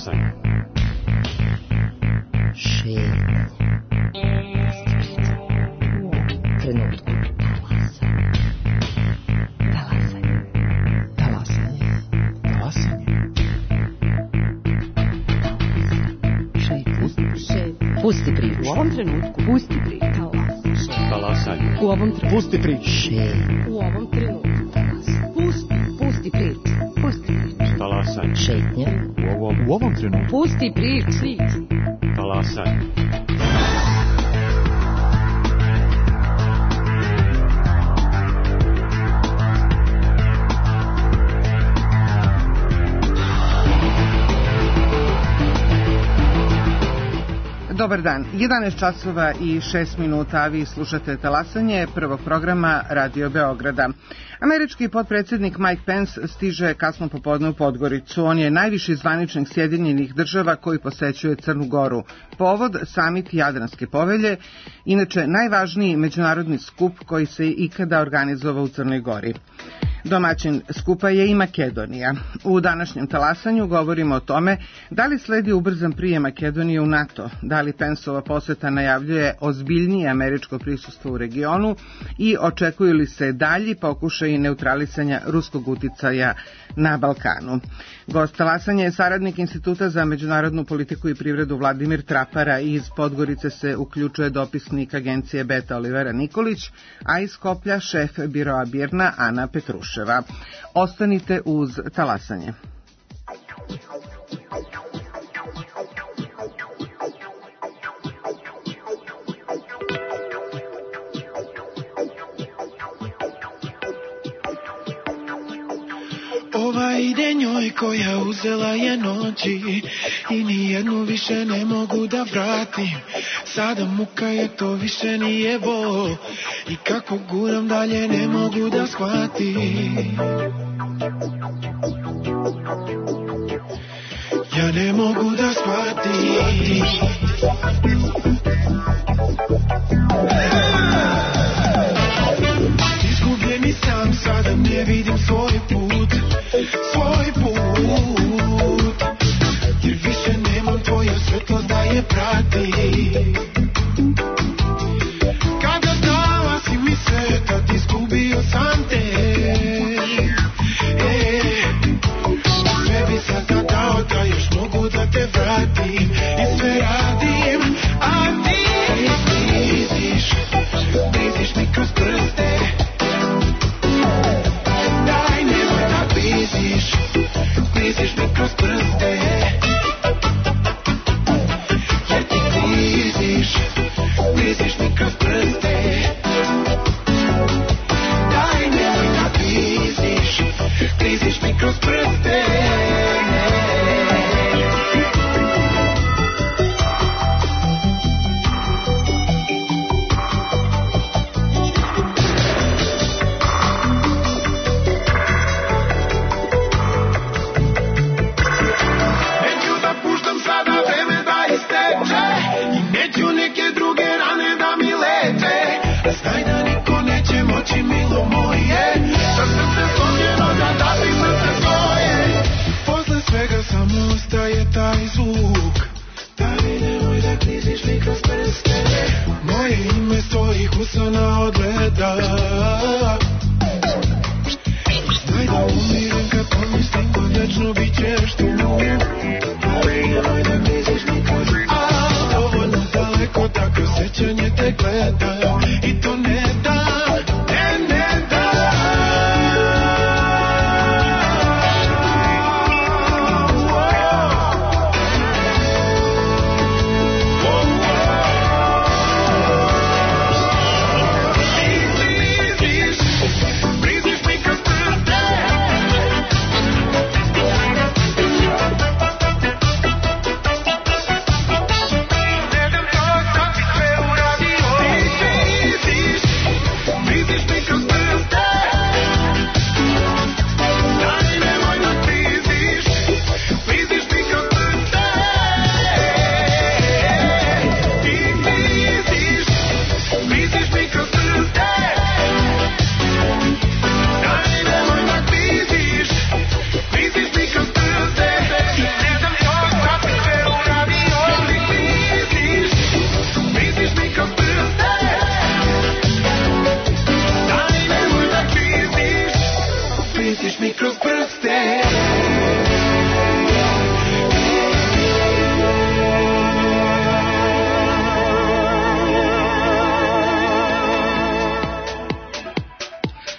Talasanje. Šetnje. Trenutku. Talasanje. Talasanje. Talasanje. Šetnje. Pusti priču. U ovom trenutku. Pusti priču. Talasanje. U ovom trenutku. Pusti priču. Šetnje. U ovom trenutku. Pusti priču. Pusti priču. Talasanje. Šetnje. U ovom trenutku. Pusti priču. Talasanje. Dobar dan, 11 časova i 6 minuta, a vi slušate Talasanje prvog programa Radio Beograda. Američki potpredsjednik Mike Pence stiže kasno popodne u Podgoricu. On je najviši zvaničnik Sjedinjenih Država koji posećuje Crnu Goru. Povod, samit Jadranske povelje, inače najvažniji međunarodni skup koji se ikada organizovao u Crnoj Gori. Domaćin skupa je i Makedonija. U današnjem Talasanju govorimo o tome da li sledi ubrzan prijem Makedonije u NATO, da li Penceova poseta najavljuje ozbiljnije američko prisustvo u regionu i očekuju li se dalji pokušaj neutralisanja ruskog uticaja na Balkanu. Gost Talasanja je saradnik Instituta za međunarodnu politiku i privredu Vladimir Trapara i iz Podgorice se uključuje dopisnik agencije Beta Olivera Nikolić, a iz Skoplja šef biroa BIRN-a Ana Petruševa. Ostanite uz Talasanje. Ova ide njoj koja uzela je noći i nijednu više ne mogu da vratim. Sada muka je, to više nije bol i kako guram dalje ne mogu da shvatim. Ja ne mogu da shvatim. Izgubljeni sam, sada ne vidim svoj put, jer više nemam tvoje svetlo da je prati. Kada dala si mi sve, tad izgubio sam te. Sve bi sada dao da još mogu da te vratim i sve radim, a ti bliziš mi kroz prste. Daj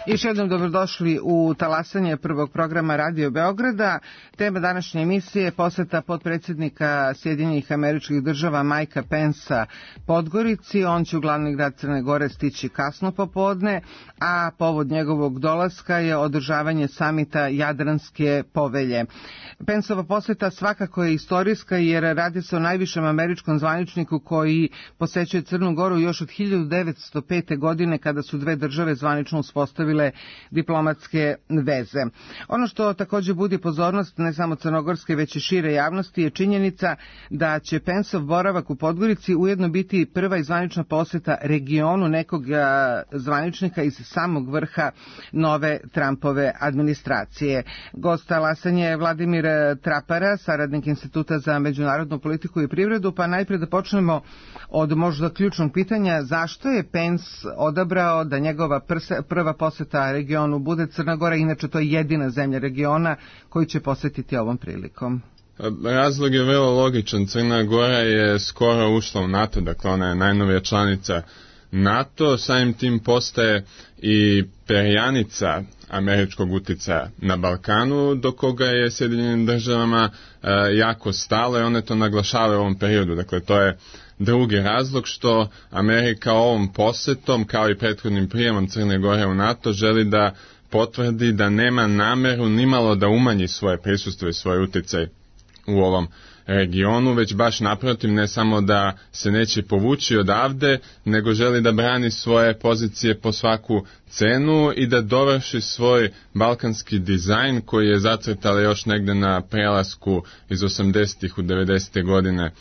Još jednom dobrodošli u talasanje prvog programa Radio Beograda. Tema današnje emisije je poseta potpredsjednika Sjedinjenih Američkih Država Mikea Pensa Podgorici. On će u glavni grad Crne Gore stići kasno popodne, a povod njegovog dolaska je održavanje samita Jadranske povelje. Pensova poseta svakako je istorijska jer radi se o najvišem američkom zvaničniku koji posećuje Crnu Goru još od 1905. godine kada su dve države zvanično uspostavile diplomatske veze. Ono što također budi pozornost ne samo crnogorske već i šire javnosti je činjenica da će Pensov boravak u Podgorici ujedno biti prva i zvanična poseta regionu nekog zvaničnika iz samog vrha nove Trumpove administracije. Gost talasanja je Vladimir Trapara, saradnik Instituta za međunarodnu politiku i privredu, pa najprije da počnemo od možda ključnog pitanja zašto je Pence odabrao da njegova prva poseta regionu bude Crna Gora, inače to je jedina zemlja regiona koju će posetiti ovom prilikom. Razlog je vrlo logičan. Crna Gora je skoro ušla u NATO, dakle ona je najnovija članica NATO, samim tim postaje i perjanica američkog utjecaja na Balkanu, do koga je Sjedinjenim državama jako stalo i one to naglašavaju u ovom periodu. Dakle, to je drugi razlog što Amerika ovom posjetom, kao i prethodnim prijemom Crne Gore u NATO, želi da potvrdi da nema nameru nimalo da umanji svoje prisustvo i svoj utjecaj u ovom regionu, već baš naprotiv, ne samo da se neće povući odavde, nego želi da brani svoje pozicije po svaku cenu i da dovrši svoj balkanski dizajn koji je zacrtala još negde na prelasku iz 80. u 90. godine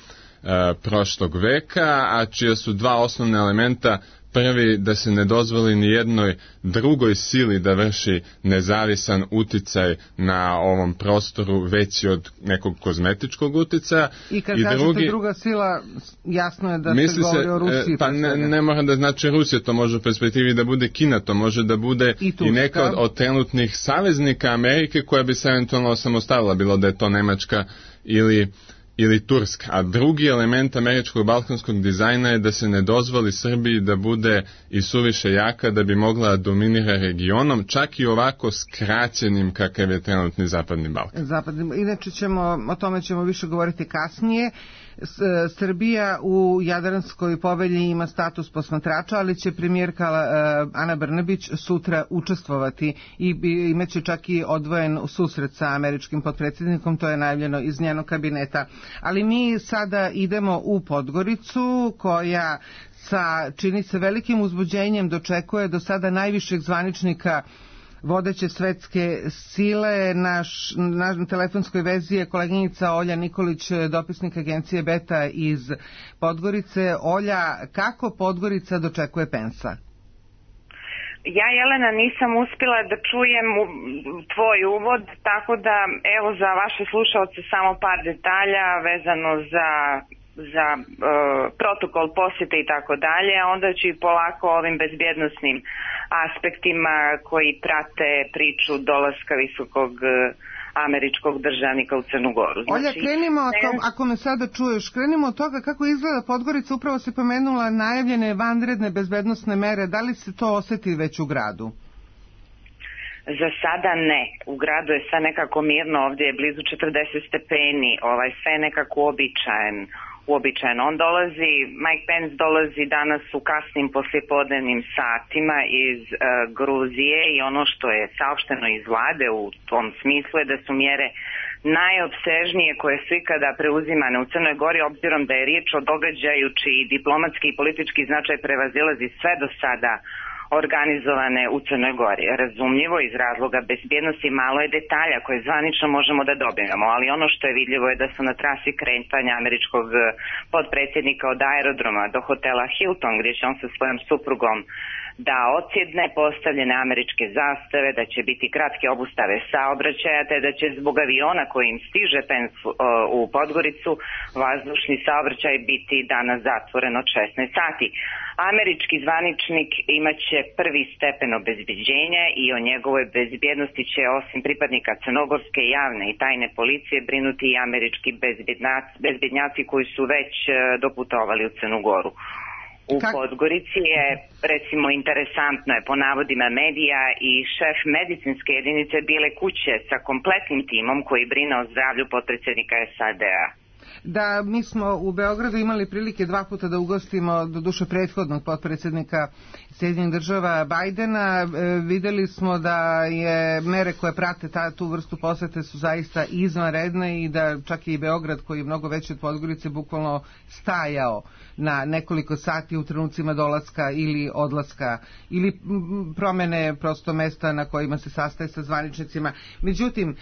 prošlog veka, a čija su dva osnovna elementa. Prvi, da se ne dozvoli ni jednoj drugoj sili da vrši nezavisan uticaj na ovom prostoru veći od nekog kozmetičkog uticaja. I kad kažete druga sila, jasno je da se govori o Rusiji. Pa ne mora da znači Rusija, to može u perspektivi da bude Kina, to može da bude i neka od trenutnih saveznika Amerike koja bi se eventualno osamostalila, bilo da je to Nemačka ili Turska. A drugi element američkog balkanskog dizajna je da se ne dozvoli Srbiji da bude i suviše jaka da bi mogla dominira regionom, čak i ovako skraćenim kakav je trenutni Zapadni Balkan. Inače o tome ćemo više govoriti kasnije. Srbija u Jadranskoj povelji ima status posmatrača, ali će premijerka Ana Brnabić sutra učestvovati i imaće čak i odvojen susret sa američkim potpredsjednikom, to je najavljeno iz njenog kabineta. Ali mi sada idemo u Podgoricu koja čini se velikim uzbuđenjem dočekuje do sada najvišeg zvaničnika vodeće svetske sile. Na telefonskoj vezi je koleginica Olja Nikolić, dopisnik agencije Beta iz Podgorice. Olja, kako Podgorica dočekuje Pensa? Ja, Jelena, nisam uspjela da čujem tvoj uvod, tako da evo za vaše slušalce samo par detalja vezano za protokol posjete i tako dalje, a onda ću i polako ovim bezbjednosnim aspektima koji prate priču dolaska visokog američkog državnika u Crnu Goru. Olja, krenimo, ako me sada čuješ, krenimo od toga kako izgleda Podgorica. Upravo si pomenula najavljene vanredne bezbednosne mere. Da li se to osjeti već u gradu? Za sada ne. U gradu je sve nekako mirno, ovdje je blizu 40 stepeni, sve je nekako uobičajeno. Mike Pence dolazi danas u kasnim poslijepodnevnim satima iz Gruzije i ono što je saopšteno iz vlade u tom smislu je da su mjere najopsežnije koje su ikada preuzimane u Crnoj Gori, obzirom da je riječ o događaju čiji diplomatski i politički značaj prevazilazi sve do sada organizovane u Crnoj Gori. Razumljivo iz razloga bezbjednosti malo je detalja koje zvanično možemo da dobijemo, ali ono što je vidljivo je da su na trasi kretanja američkog potpredsjednika od aerodroma do hotela Hilton, gdje će on sa svojom suprugom da odsjedne postavljene američke zastave, da će biti kratke obustave saobraćaja, te da će zbog aviona kojim stiže Pence u Podgoricu vazdušni saobraćaj biti danas zatvoren od 16 sati. Američki zvaničnik imaće prvi stepen obezbeđenja i o njegovoj bezbjednosti će osim pripadnika crnogorske javne i tajne policije brinuti i američki bezbjednjaci koji su već doputovali u Crnu Goru. U Podgorici je, recimo, interesantno je po navodima medija i šef medicinske jedinice Bijele kuće sa kompletnim timom koji brine o zdravlju potpredsjednika SAD-a. Da, mi smo u Beogradu imali prilike 2 puta da ugostimo do duše prethodnog potpredsjednika Sjedinjenih država Bajdena. Vidjeli smo da je mere koje prate tu vrstu posete su zaista izvanredne i da čak i Beograd, koji je mnogo veći od Podgorice, bukvalno stajao na nekoliko sati u trenucima dolaska ili odlaska ili promjene prosto mesta na kojima se sastaje sa zvaničnicima. Međutim,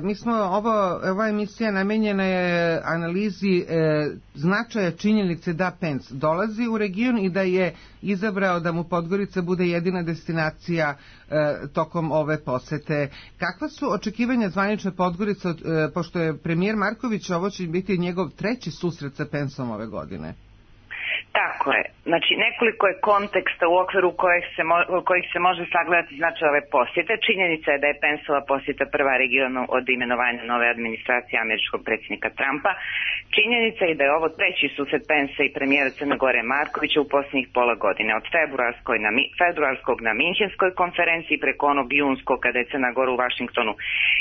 mi smo ova emisija namenjena je analizi značaja činjenice da Pence dolazi u region i da je izabrao da mu Podgorica bude jedina destinacija tokom ove posete. Kakva su očekivanja zvanične Podgorice, pošto je premijer Marković, ovo će biti njegov 3. susret sa Penceom ove godine? Tako je. Znači, nekoliko je konteksta u okviru kojih se može sagledati značaj ove posjete. Činjenica je da je Penceova posjeta prva regionu od imenovanja nove administracije američkog predsjednika Trumpa. Činjenica je da je ovo 3. susret Pence i premijera Crne Gore Markovića u posljednjih pola godine. Od februarskog na Minhenskoj konferenciji preko onog junskog kada je Crna Gora u Vašingtonu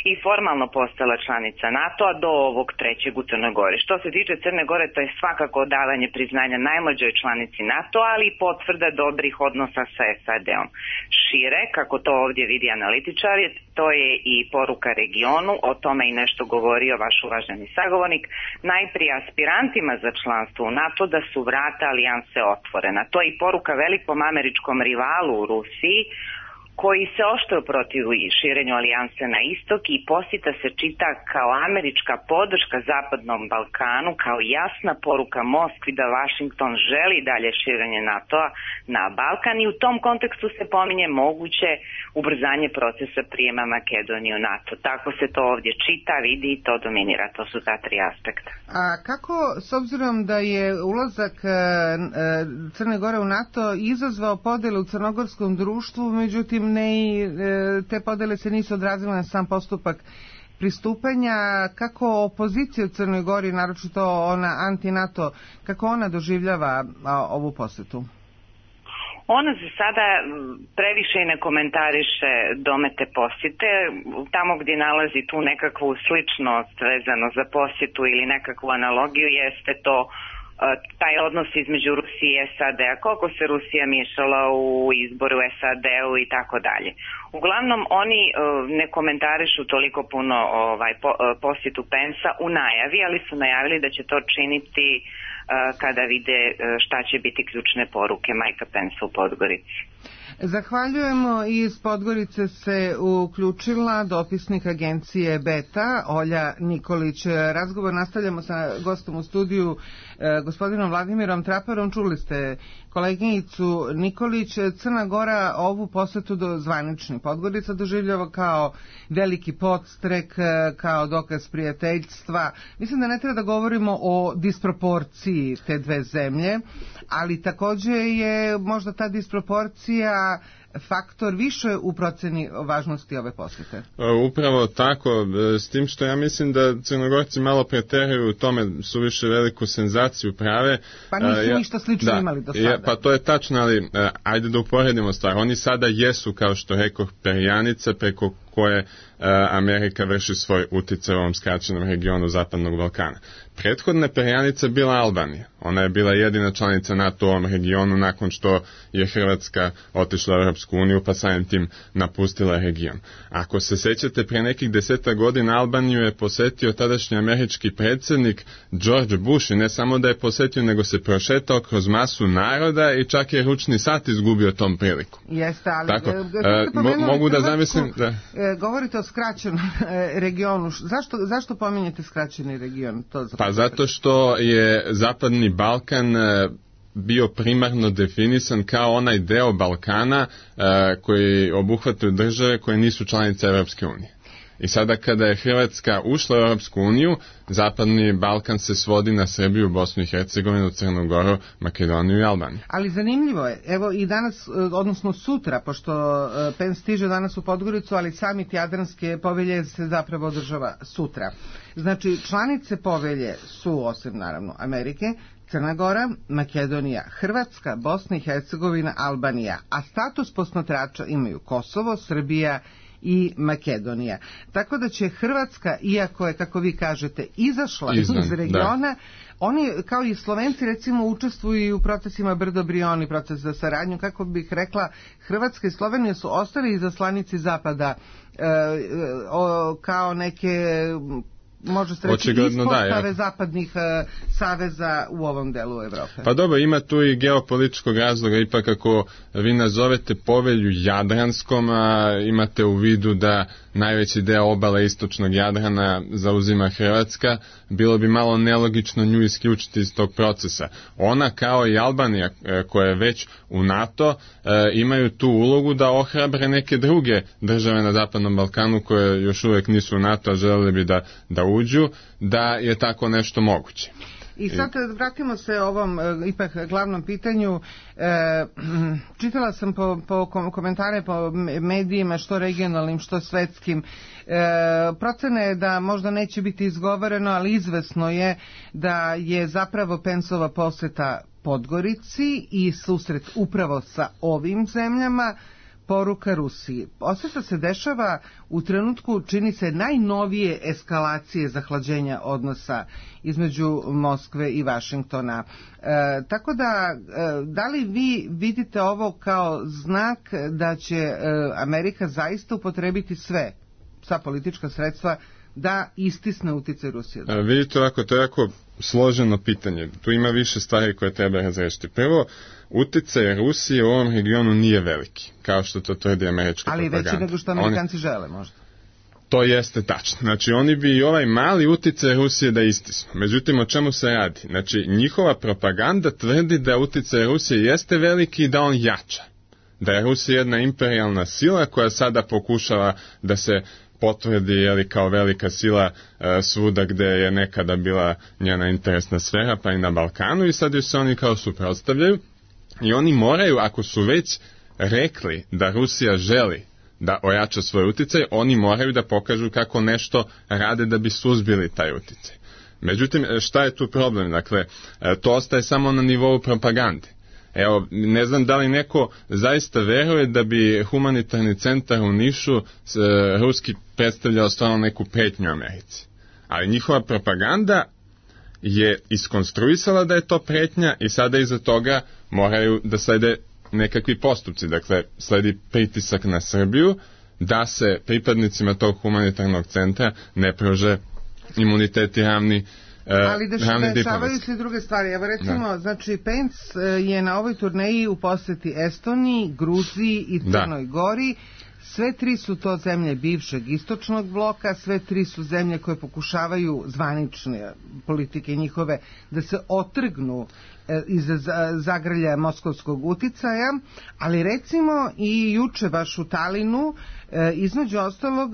i formalno postala članica NATO-a do ovog 3. u Crnoj Gori. Što se tiče Crne Gore, to je svakako davanje priznanja najmlađoj članici NATO, ali i potvrda dobrih odnosa sa SAD-om. Šire, kako to ovdje vidi analitičar, to je i poruka regionu, o tome i nešto govorio vaš uvaženi sagovornik, najprije aspirantima za članstvo u NATO da su vrata alijanse otvorena. To je i poruka velikom američkom rivalu u Rusiji, koji se oštro protivi širenju alijanse na istok i posjeta se čita kao američka podrška Zapadnom Balkanu, kao jasna poruka Moskvi da Washington želi dalje širenje NATO-a na Balkan i u tom kontekstu se pominje moguće ubrzanje procesa prijema Makedonije u NATO. Tako se to ovdje čita, vidi i to dominira. To su ta 3 aspekta. A kako, s obzirom da je ulazak Crne Gore u NATO izazvao podjele u crnogorskom društvu, međutim te podjele se nisu odrazile na sam postupak pristupanja, kako opozicija u Crnoj Gori, naročito ona anti-NATO, kako ona doživljava ovu posjetu? Ona za sada previše ne komentariše domete posjete. Tamo gdje nalazi tu nekakvu sličnost vezano za posjetu ili nekakvu analogiju jeste to taj odnos između Rusije i SAD-a, koliko se Rusija miješala u izboru SAD-u i tako dalje. Uglavnom, oni ne komentarišu toliko puno posjetu Pensa u najavi, ali su najavili da će to činiti kada vide šta će biti ključne poruke Majka Pensa u Podgorici. Zahvaljujemo. Iz Podgorice se uključila dopisnik agencije Beta, Olja Nikolić. Razgovor nastavljamo sa gostom u studiju, gospodinom Vladimirom Traparom. Čuli ste koleginicu Nikolić. Crna Gora ovu posjetu do zvanični Podgorica doživljava kao veliki podstrek, kao dokaz prijateljstva. Mislim da ne treba da govorimo o disproporciji te dve zemlje, ali također je možda ta disproporcija faktor više u procjeni važnosti ove posjete. Upravo tako, s tim što ja mislim da Crnogorci malo preteraju u tome, su više veliku senzaciju prave. Pa nisu ništa slično imali do sada. Pa to je tačno, ali ajde da uporedimo stvar. Oni sada jesu, kao što rekoh, perjanica preko koje Amerika vrši svoj utjecaj u ovom skraćenom regionu Zapadnog Balkana. Prethodna perjanica bila Albanija. Ona je bila jedina članica NATO u ovom regionu nakon što je Hrvatska otišla u Europsku uniju, pa samim tim napustila region. Ako se sjećate, prije nekih 10 godina Albaniju je posjetio tadašnji američki predsjednik George Bush i ne samo da je posjetio, nego se prošetao kroz masu naroda i čak je ručni sat izgubio tom priliku. Jeste, ali tako, mogu da zamislim da... Govorite o skraćenom regionu. Zašto pominjete skraćeni region? Pa zato što je Zapadni Balkan bio primarno definisan kao onaj deo Balkana koji obuhvataju države koje nisu članice Europske unije. I sada kada je Hrvatska ušla u Europsku uniju, Zapadni Balkan se svodi na Srbiju, Bosnu i Hercegovinu, Crnu Goru, Makedoniju i Albaniju. Ali zanimljivo je, evo i danas, odnosno sutra, pošto Pence stiže danas u Podgoricu, ali samit Jadranske povelje se zapravo održava sutra. Znači, članice povelje su, osim naravno Amerike, Crna Gora, Makedonija, Hrvatska, Bosna i Hercegovina, Albanija, a status posmatrača imaju Kosovo, Srbija i Makedonija. Tako da će Hrvatska, iako je, kako vi kažete, izašla iz regiona, oni, kao i Slovenci, recimo, učestvuju u procesima Brdo-Brioni, proces za saradnju, kako bih rekla, Hrvatska i Slovenija su ostali izaslanici Zapada kao neke, može se reći, ispostave zapadnih saveza u ovom delu Evrope. Pa dobro, ima tu i geopolitičkog razloga, ipak ako vi nazovete povelju Jadranskom, a imate u vidu da najveći deo obale istočnog Jadrana zauzima Hrvatska, bilo bi malo nelogično nju isključiti iz tog procesa. Ona, kao i Albanija, koja je već u NATO, imaju tu ulogu da ohrabre neke druge države na Zapadnom Balkanu koje još uvijek nisu u NATO, a želeli bi da uđu, da je tako nešto moguće. I sad vratimo se ovom ipak glavnom pitanju. Čitala sam po komentare po medijima, što regionalnim, što svetskim. Procena je da možda neće biti izgovoreno, ali izvesno je da je zapravo Pensova poseta Podgorici i susret upravo sa ovim zemljama poruka Rusiji. Sve što se dešava u trenutku, čini se, najnovije eskalacije zahlađenja odnosa između Moskve i Vašingtona. Tako da li vi vidite ovo kao znak da će Amerika zaista upotrebiti sva politička sredstva da istisne uticaj Rusije? Vidite ovako, to je jako složeno pitanje. Tu ima više stvari koje treba razrešiti. Prvo, uticaj Rusije u ovom regionu nije veliki, kao što to tvrdi američka propaganda. Ali veći nego što Amerikanci žele, možda. To jeste tačno. Znači, oni bi i ovaj mali uticaj Rusije da istisnu. Međutim, o čemu se radi? Znači, njihova propaganda tvrdi da uticaj Rusije jeste veliki i da on jača. Da je Rusija jedna imperijalna sila koja sada pokušava da se potvrdi kao velika sila svuda gde je nekada bila njena interesna sfera, pa i na Balkanu, i sad joj se oni kao suprotstavljaju i oni moraju, ako su već rekli da Rusija želi da ojača svoj uticaj, oni moraju da pokažu kako nešto rade da bi suzbili taj uticaj. Međutim, šta je tu problem? Dakle, to ostaje samo na nivou propagande. Evo, ne znam da li neko zaista veruje da bi humanitarni centar u Nišu ruski predstavljao stvarno neku pretnju Americi. Ali njihova propaganda je iskonstruisala da je to pretnja i sada iza toga moraju da slede nekakvi postupci. Dakle, sledi pritisak na Srbiju da se pripadnicima tog humanitarnog centra ne pruže imuniteti ravni. Ali dešavaju se druge stvari. Evo recimo, znači Pence je na ovoj turneji u poseti Estoniji, Gruziji i Crnoj Gori. Sve tri su to zemlje bivšeg istočnog bloka, sve tri su zemlje koje pokušavaju zvanične politike njihove da se otrgnu iz zagrlja moskovskog uticaja, ali recimo i juče baš u Talinu između ostalog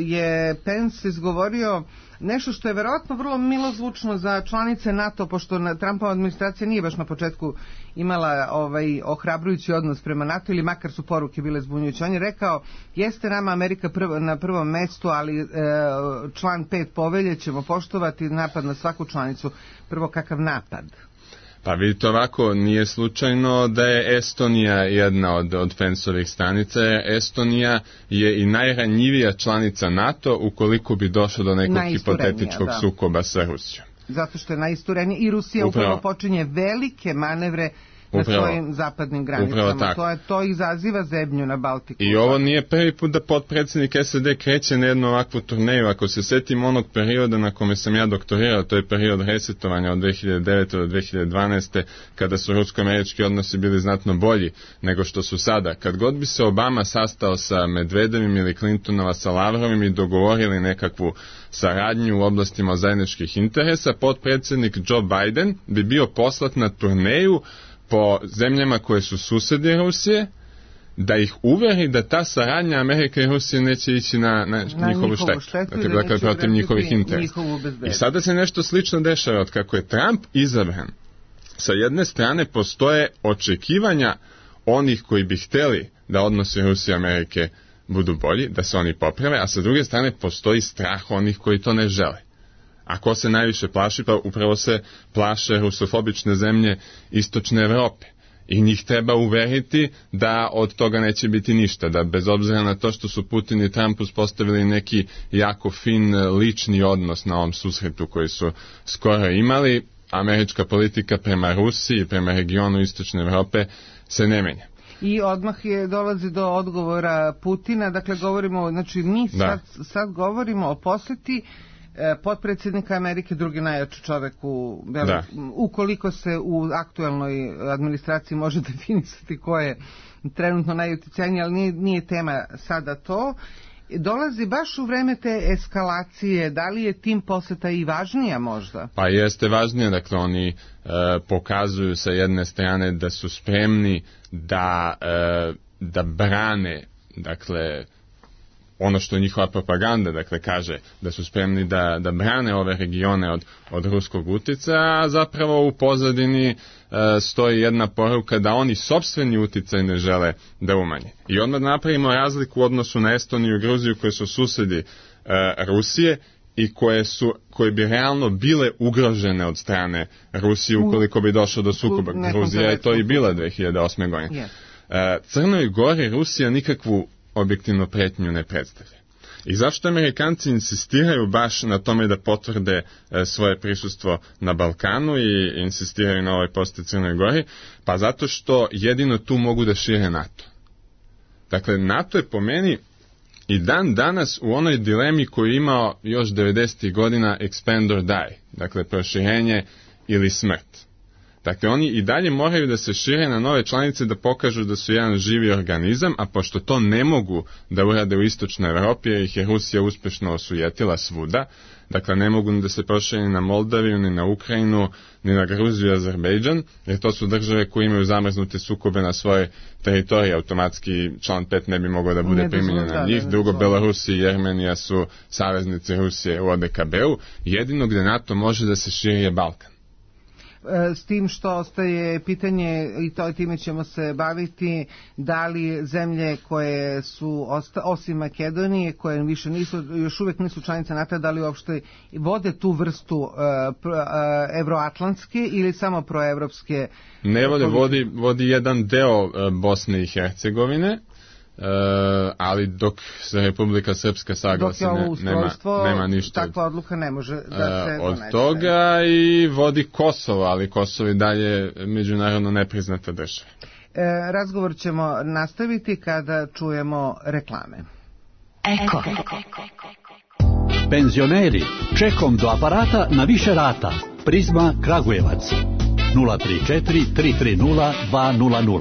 je Pence izgovorio nešto što je verovatno vrlo milozvučno za članice NATO, pošto Trumpova administracija nije baš na početku imala ohrabrujući odnos prema NATO, ili makar su poruke bile zbunjujuće. On je rekao, jeste nama Amerika na prvom mestu, ali član 5 povelje ćemo poštovati, napad na svaku članicu. Prvo, kakav napad? Pa vidite ovako, nije slučajno da je Estonija jedna od Penceovih stanica. Estonija je i najranjivija članica NATO ukoliko bi došlo do nekog hipotetičkog sukoba sa Rusijom. Zato što je najisturenija i Rusija upravo počinje velike manevre na svojim zapadnim granicama. To izaziva zebnju na Baltiku. I ovo nije prvi put da potpredsjednik SAD kreće na jednu ovakvu turneju. Ako se setim onog perioda na kome sam ja doktorirao, to je period resetovanja od 2009. do 2012. kada su rusko-američki odnosi bili znatno bolji nego što su sada. Kad god bi se Obama sastao sa Medvedevim ili Clintonova sa Lavrovim i dogovorili nekakvu saradnju u oblastima zajedničkih interesa, potpredsjednik Joe Biden bi bio poslat na turneju po zemljama koje su susedi Rusije, da ih uveri da ta saradnja Amerike i Rusije neće ići na njihovu štetu. Dakle, protiv njihovih interesa. I sada se nešto slično dešava. Od kako je Trump izabran, sa jedne strane postoje očekivanja onih koji bi hteli da odnosi Rusije i Amerike budu bolji, da se oni poprave, a sa druge strane postoji strah onih koji to ne žele. A ko se najviše plaši? Pa upravo se plaše rusofobične zemlje Istočne Evrope. I njih treba uveriti da od toga neće biti ništa, da bez obzira na to što su Putin i Trump uspostavili neki jako fin lični odnos na ovom susretu koji su skoro imali, američka politika prema Rusiji i prema regionu Istočne Evrope se ne menja. I odmah dolazi do odgovora Putina, dakle govorimo, znači mi sad govorimo o posjeti potpredsjednika Amerike, drugi najjači čovjek ukoliko se u aktualnoj administraciji može definisati ko je trenutno najuticajniji, ali nije tema sada to. Dolazi baš u vreme te eskalacije, da li je tim posjeta i važnija možda? Pa jeste važnija, dakle oni pokazuju sa jedne strane da su spremni da brane, dakle, ono što je njihova propaganda, dakle, kaže da su spremni da brane ove regione od ruskog utjecaja, a zapravo u pozadini stoji jedna poruka da oni sopstveni utjecaj ne žele da umanje. I odmah napravimo razliku u odnosu na Estoniju i Gruziju, koje su susjedi Rusije i koje bi realno bile ugrožene od strane Rusije ukoliko bi došlo do sukoba. Gruzija je to i bila 2008. godine. Crnoj Gori Rusija nikakvu objektivnu pretnju ne predstavlja. I zašto Amerikanci insistiraju baš na tome da potvrde svoje prisustvo na Balkanu i insistiraju na ovoj posjeti Crnoj Gori? Pa zato što jedino tu mogu da šire NATO. Dakle, NATO je po meni i dan danas u onoj dilemi koju je imao još 90. godina expand or die, dakle proširenje ili smrt. Dakle, oni i dalje moraju da se šire na nove članice, da pokažu da su jedan živi organizam, a pošto to ne mogu da urade u Istočnoj Evropi, jer ih je Rusija uspešno osujetila svuda, dakle ne mogu ni da se prošire ni na Moldaviju, ni na Ukrajinu, ni na Gruziju i Azerbejdžan, jer to su države koje imaju zamrznute sukobe na svoje teritorije, automatski član 5 ne bi mogao da bude primjenjen na njih. Drugo, Belorusija i Jermenija su saveznici Rusije u ODKB-u, jedino gde NATO može da se širi je Balkan. S tim što ostaje pitanje, i time ćemo se baviti, da li zemlje koje su, osim Makedonije, koje više još uvijek nisu članice NATO, da li uopšte vode tu vrstu evroatlantske ili samo proevropske? Ne vodi jedan deo Bosne i Hercegovine, ali dok se Republika Srpska saglasi nema ništa takva odluka ne može da se od toga, i vodi Kosovo, ali Kosovo i dalje međunarodno nepriznata država. Razgovor ćemo nastaviti kada čujemo reklame. Eko. Penzioneri, čekom do aparata na više rata. Prizma Kragujevac 034 330 200.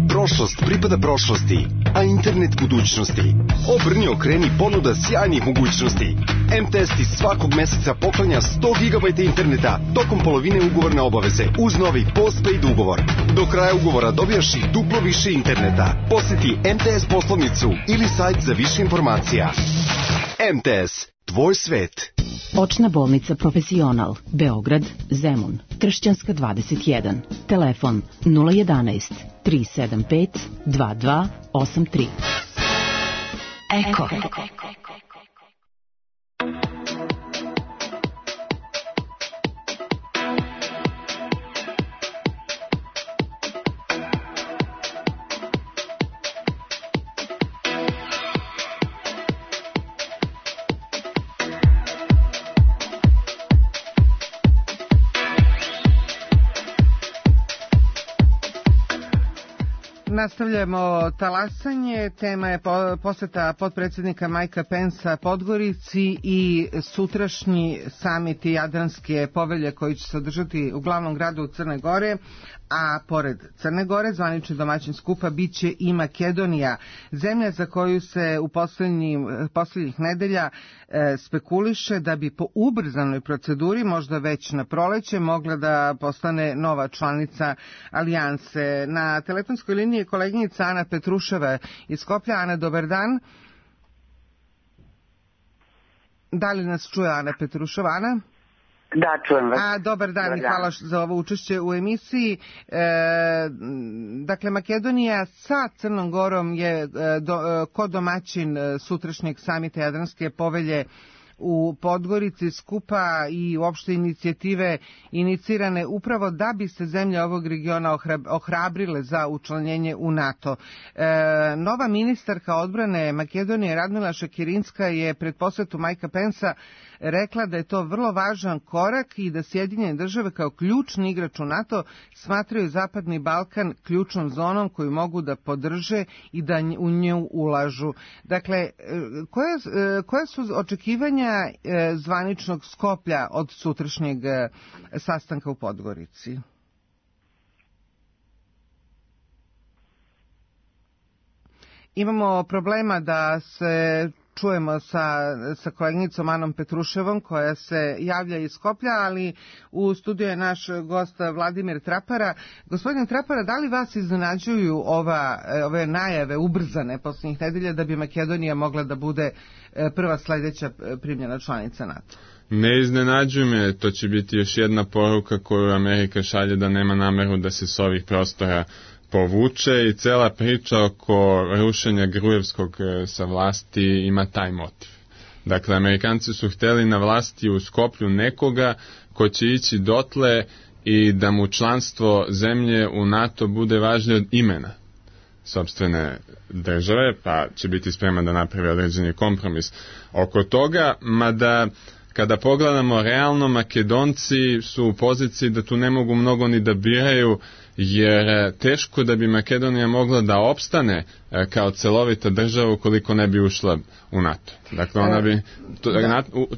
Prošlost pripada prošlosti, a internet budućnosti. Obrni, okreni, ponuda sjajnih mogućnosti. MTS ti svakog meseca poklanja 100 GB interneta tokom polovine ugovorne obaveze uz novi postpaid ugovor. Do kraja ugovora dobijaš i duplo više interneta. Posjeti MTS poslovnicu ili sajt za više informacija. MTS, tvoj svet. Očna bolnica Profesional, Beograd, Zemun, Kršćanska 21, telefon 011 375 2283. Eko. Nastavljamo talasanje, tema je posjeta potpredsjednika Majka Pensa Podgorici i sutrašnji samit Jadranske povelje koji će se održati u glavnom gradu u Crne Gore, a pored Crne Gore zvanični domaćin skupa bit će i Makedonija, zemlja za koju se u posljednjih nedelja spekuliše da bi po ubrzanoj proceduri, možda već na proleće, mogla da postane nova članica alijanse. Na telefonskoj liniji je koleginica Ana Petruševa iz Skoplja. Ana, dobar dan. Da li nas čuje Ana Petruševa? Ana? Da, čujem vas. Dobar dan i hvala za ovo učešće u emisiji. Dakle, Makedonija sa Crnom Gorom je ko domaćin sutrašnjeg samita Jadranske povelje u Podgorici, skupa i uopšte inicijative inicirane upravo da bi se zemlje ovog regiona ohrabrile za učlanjenje u NATO. Nova ministarka odbrane Makedonije Radmila Šekirinska je pred posetu Majka Pensa rekla da je to vrlo važan korak i da Sjedinjene države kao ključni igrač u NATO smatraju Zapadni Balkan ključnom zonom koju mogu da podrže i da u nju ulažu. Dakle, koje su očekivanja zvaničnog Skoplja od sutrašnjeg sastanka u Podgorici? Imamo problema da se čujemo sa koleginicom Anom Petruševom koja se javlja iz Skoplja, ali u studiju je naš gost Vladimir Trapara. Gospodine Trapara, da li vas iznenađuju ove najave ubrzane posljednjih nedelja da bi Makedonija mogla da bude prva sledeća primljena članica NATO? Ne iznenađuju me, to će biti još jedna poruka koju Amerika šalje da nema nameru da se s ovih prostora povuče i cela priča oko rušenja Grujevskog sa vlasti ima taj motiv. Dakle, Amerikanci su hteli na vlasti u Skoplju nekoga ko će ići dotle i da mu članstvo zemlje u NATO bude važnije od imena sopstvene države, pa će biti spreman da napravi određeni kompromis oko toga, mada kada pogledamo realno, Makedonci su u poziciji da tu ne mogu mnogo ni da biraju, jer teško da bi Makedonija mogla da opstane kao celovita država ukoliko ne bi ušla u NATO. Dakle, ona bi,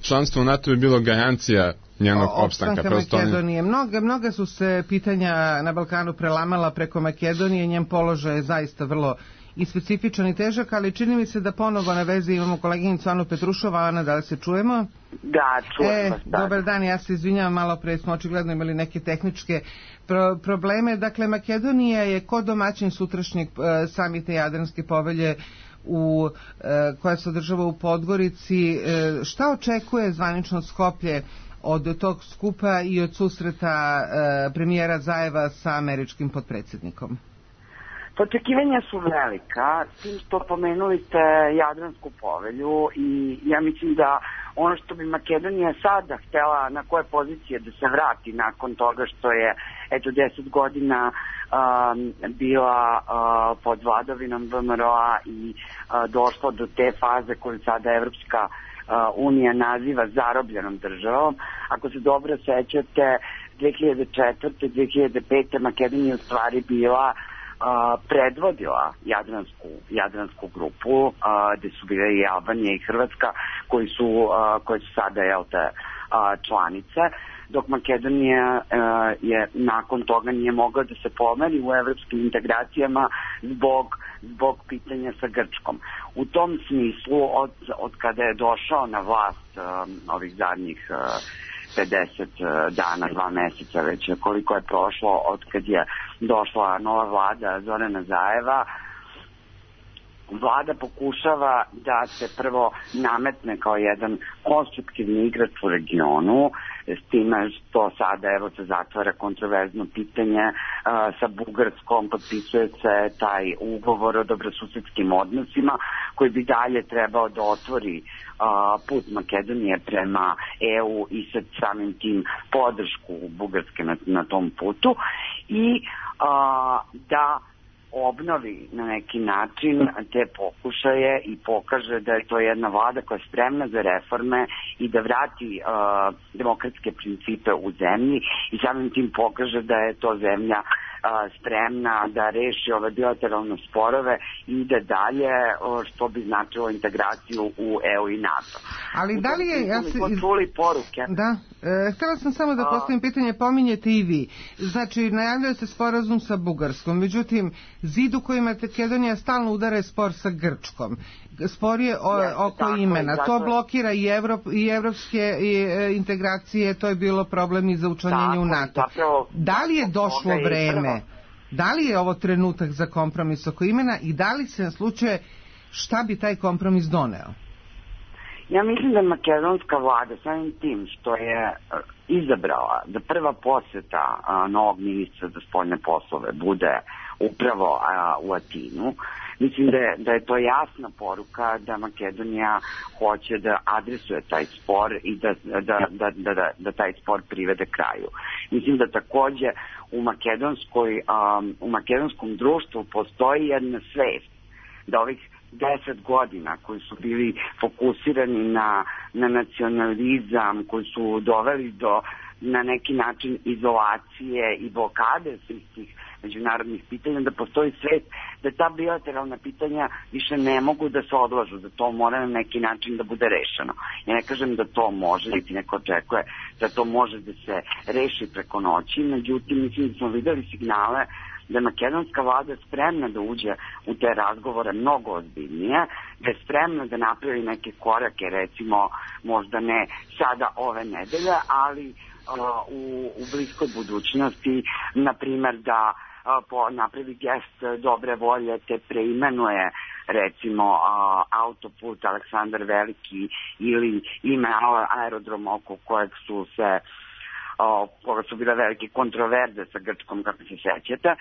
članstvo u NATO bi bilo garancija njenog opstanka. Makedonije. Mnoga su se pitanja na Balkanu prelamala preko Makedonije, njen položaj je zaista vrlo i specifičan i težak, ali čini mi se da ponovo na vezi imamo koleginicu Anu Petrušova. Ana, da li se čujemo? Da, čujem vas. Dobar dan, ja se izvinjavam, malo pre smo očigledno imali neke tehničke probleme. Dakle, Makedonija je kod domaćin sutrašnjeg samita Jadranske povelje koja se održava u Podgorici. Šta očekuje zvanično Skoplje od tog skupa i od susreta premijera Zajeva sa američkim potpredsjednikom? Očekivanja su velika, tim što pomenuli ste Jadransku povelju i ja mislim da ono što bi Makedonija sada htela, na koje pozicije da se vrati nakon toga što je 10 godina bila pod vladavinom VMRO-a i došla do te faze koju sada Evropska unija naziva zarobljenom državom. Ako se dobro sećate, 2004. 2005. Makedonija u stvari bila predvodila Jadransku grupu, gde su bile i Albanija i Hrvatska koje su sada članice, dok Makedonija je nakon toga nije mogla da se pomeri u evropskim integracijama zbog pitanja sa Grčkom. U tom smislu, od kada je došao na vlast ovih zadnjih 50 dana, 2 meseca već koliko je prošlo od kad je došla nova vlada Zorana Zajeva, vlada pokušava da se prvo nametne kao jedan konstruktivni igrač u regionu, s time što sada se zatvara kontroverzno pitanje sa Bugarskom, potpisuje se taj ugovor o dobrosusedskim odnosima koji bi dalje trebao da otvori put Makedonije prema EU i sa samim tim podršku Bugarske na tom putu i da obnovi na neki način te pokušaje i pokaže da je to jedna vlada koja je spremna za reforme i da vrati demokratske principe u zemlji i samim tim pokaže da je to zemlja spremna da reši ove bilateralne sporove i da dalje, što bi značilo integraciju u EU i NATO. Ali da li je... čuli poruke. Da, htjela sam samo da postavim pitanje, pominjete i vi. Znači, najavljuje se sporazum sa Bugarskom, međutim, zid u kojima Makedonija stalno udara je spor sa Grčkom. Spor je oko imena. To blokira i evropske integracije, to je bilo problem i za učlanjenje u NATO. Da li je došlo vreme? Da li je ovo trenutak za kompromis oko imena i da li se na slučaju šta bi taj kompromis doneo? Ja mislim da makedonska vlada samim tim što je izabrala da prva posjeta novog ministra za spoljne poslove bude upravo u Atinu, Mislim da je to jasna poruka da Makedonija hoće da adresuje taj spor i da taj spor privede kraju. Mislim da takođe u makedonskom društvu postoji jedna svest da ovih 10 godina koji su bili fokusirani na nacionalizam, koji su doveli do na neki način izolacije i blokade svih tih međunarodnih pitanja, da postoji svest da ta bilateralna pitanja više ne mogu da se odlažu, da to mora na neki način da bude rešeno. Ja ne kažem da to može, niti neko očekuje da to može da se reši preko noći, međutim mislim da smo videli signale da je makedonska vlada spremna da uđe u te razgovore mnogo ozbiljnije, da je spremna da napravi neke korake, recimo možda ne sada ove nedelje, ali u bliskoj budućnosti, na primjer da napravi gest dobre volje, te preimenuje recimo autoput Aleksandar Veliki ili ime aerodroma oko kojeg koga su bile velike kontroverze sa Grčkom, kako se sećate,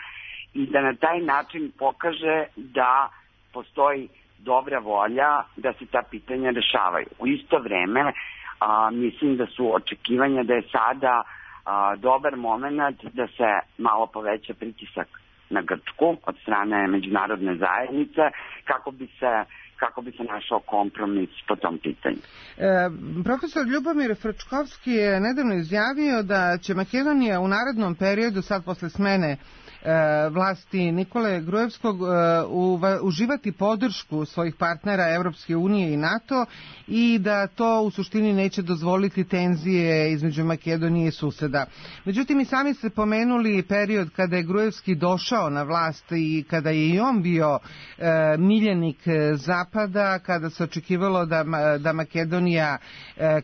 i da na taj način pokaže da postoji dobra volja da se ta pitanja rešavaju. U isto vreme mislim da su očekivanja da je sada dobar moment da se malo poveća pritisak na Grčku od strane međunarodne zajednice kako bi se našao kompromis po tom pitanju. Profesor Ljubomir Frčkovski je nedavno izjavio da će Makedonija u narednom periodu, sad posle smene vlasti Nikole Grujevskog, uživati podršku svojih partnera Evropske unije i NATO i da to u suštini neće dozvoliti tenzije između Makedonije i suseda. Međutim, i sami ste pomenuli period kada je Grujevski došao na vlast i kada je i on bio miljenik Zapada, kada se očekivalo da Makedonija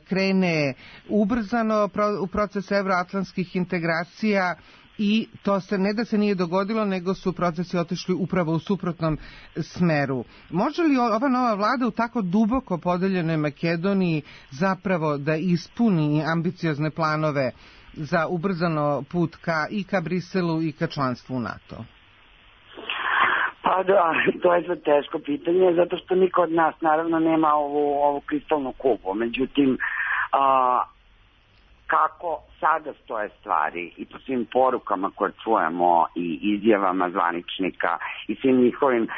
krene ubrzano u proces evroatlantskih integracija. I to se ne da se nije dogodilo, nego su procesi otišli upravo u suprotnom smeru. Može li ova nova vlada u tako duboko podeljenoj Makedoniji zapravo da ispuni ambiciozne planove za ubrzano put ka Briselu i ka članstvu u NATO? Pa da, to je za teško pitanje, zato što niko od nas naravno nema ovu kristalnu kuglu. Međutim, kako sada stoje stvari i po svim porukama koje čujemo i izjavama zvaničnika i svim njihovim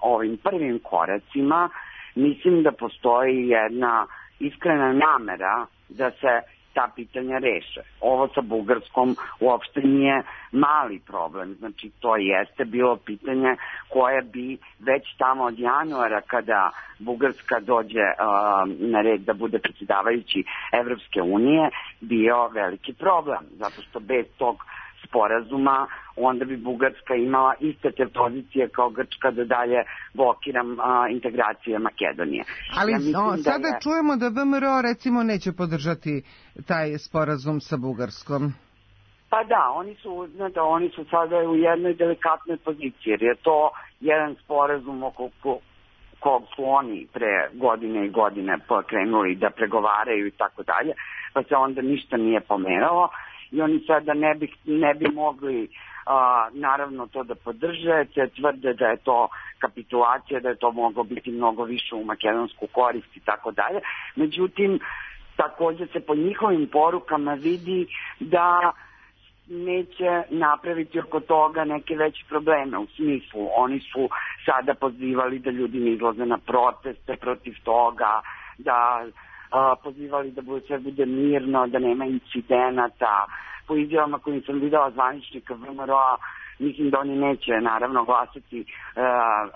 ovim prvim koracima, mislim da postoji jedna iskrena namera da se ta pitanja reše. Ovo sa Bugarskom uopšte nije mali problem, znači to jeste bilo pitanje koje bi već tamo od januara, kada Bugarska dođe na red da bude predsjedavajući Evropske unije, bio veliki problem, zato što bez tog sporazuma onda bi Bugarska imala iste te pozicije kao Grčka da dalje blokira integracije Makedonije. Ali sada čujemo da VMRO recimo neće podržati taj sporazum sa Bugarskom. Pa da, oni su sada u jednoj delikatnoj poziciji, jer je to jedan sporazum oko kog su oni pre godine i godine krenuli da pregovaraju i tako dalje, pa se onda ništa nije pomeralo. I oni sada ne bi mogli naravno to da podrže, te tvrde da je to kapitulacija, da je to moglo biti mnogo više u makedonsku korist i tako dalje. Međutim, također se po njihovim porukama vidi da neće napraviti oko toga neke veće probleme. U smislu, oni su sada pozivali da ljudi ne izlaze na proteste protiv toga, da pozivali da sve bude mirno, da nema incidenata. Po izjavama kojim sam videla zvaničnika VMRO-a, mislim da oni neće naravno glasati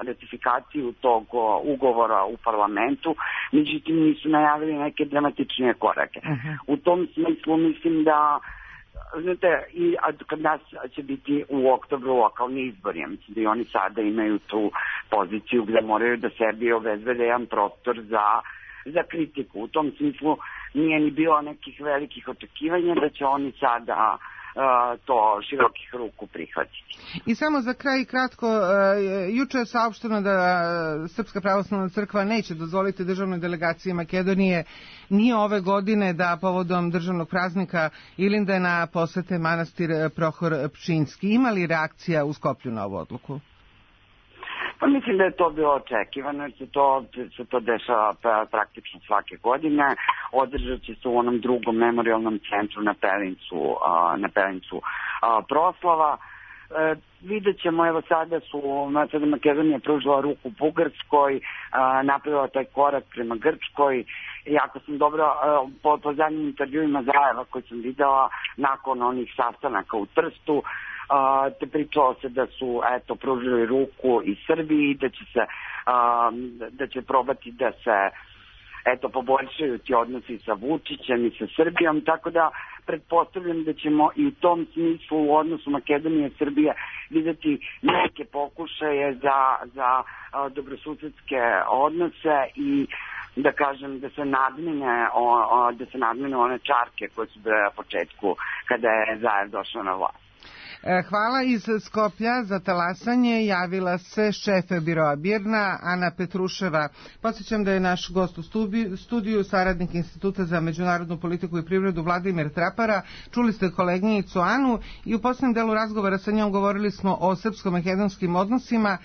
ratifikaciju tog ugovora u parlamentu, međutim nisu najavili neke dramatičnije korake. U tom smislu mislim da i kad nas će biti u oktobru lokalni izbori, ja mislim da i oni sada imaju tu poziciju gde moraju da sebi obezbede jedan prostor za kritiku. U tom smislu nije ni bilo nekih velikih očekivanja da će oni sada to širokih ruku prihvatiti. I samo za kraj kratko, juče je saopšteno da Srpska pravoslavna crkva neće dozvoliti državnoj delegaciji Makedonije ni ove godine da povodom državnog praznika Ilindena posete manastir Prohor Pčinjski. Ima li reakcija u Skoplju na ovu odluku? Pa mislim da je to bilo očekivano, jer se to dešava praktično svake godine. Održat će se u onom drugom memorialnom centru na Pelincu proslava. Vidjet ćemo, evo sada Makedonija pružila ruku Bugarskoj, napravila taj korak prema Grčkoj. Jako sam dobro, po zadnjim intervjuima Zajeva koji sam videla nakon onih sastanaka u Trstu, te pričalo se da su pružili ruku i Srbiji, da će probati da se poboljšaju ti odnosi sa Vučićem i sa Srbijom, tako da pretpostavljam da ćemo i u tom smislu u odnosu Makedonije i Srbije videti neke pokušaje za dobrosusedske odnose i da kažem da se nadmine one čarke koje su bile na početku kada je Zajev došao na vlast. Hvala. Iz Skoplja za talasanje javila se šef biroa BIRN-a Ana Petruševa. Podsjećam da je naš gost u studiju, saradnik Instituta za međunarodnu politiku i privredu Vladimir Trapara. Čuli ste koleginicu Anu i u posljednjem delu razgovora sa njom govorili smo o srpsko-makedonskim odnosima.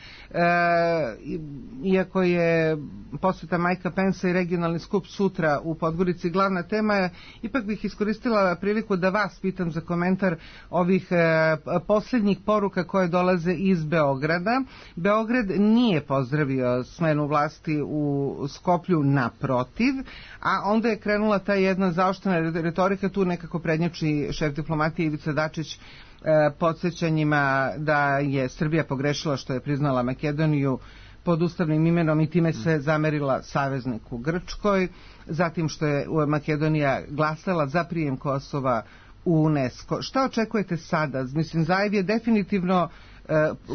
Iako je posjeta Majka Pensa i regionalni skup sutra u Podgorici glavna tema, ipak bih iskoristila priliku da vas pitam za komentar ovih posljednjih poruka koje dolaze iz Beograda. Beograd nije pozdravio smenu vlasti u Skoplju, naprotiv, a onda je krenula ta jedna zaoštrena retorika, tu nekako prednjači šef diplomatije Ivica Dačić podsjećanjima da je Srbija pogrešila što je priznala Makedoniju pod ustavnim imenom i time se zamerila savezniku Grčkoj, zatim što je Makedonija glasala za prijem Kosova u UNESCO. Šta očekujete sada? Mislim, Zajev je definitivno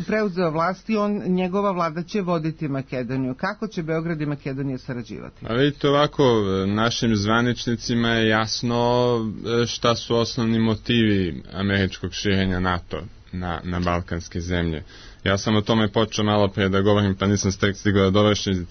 preuzeo vlast i njegova vlada će voditi Makedoniju. Kako će Beograd i Makedonija sarađivati? A vidite ovako, našim zvaničnicima je jasno šta su osnovni motivi američkog širenja NATO na balkanske zemlje. Ja sam o tome počeo malo prije da govorim, pa nisam stigao da dovršim.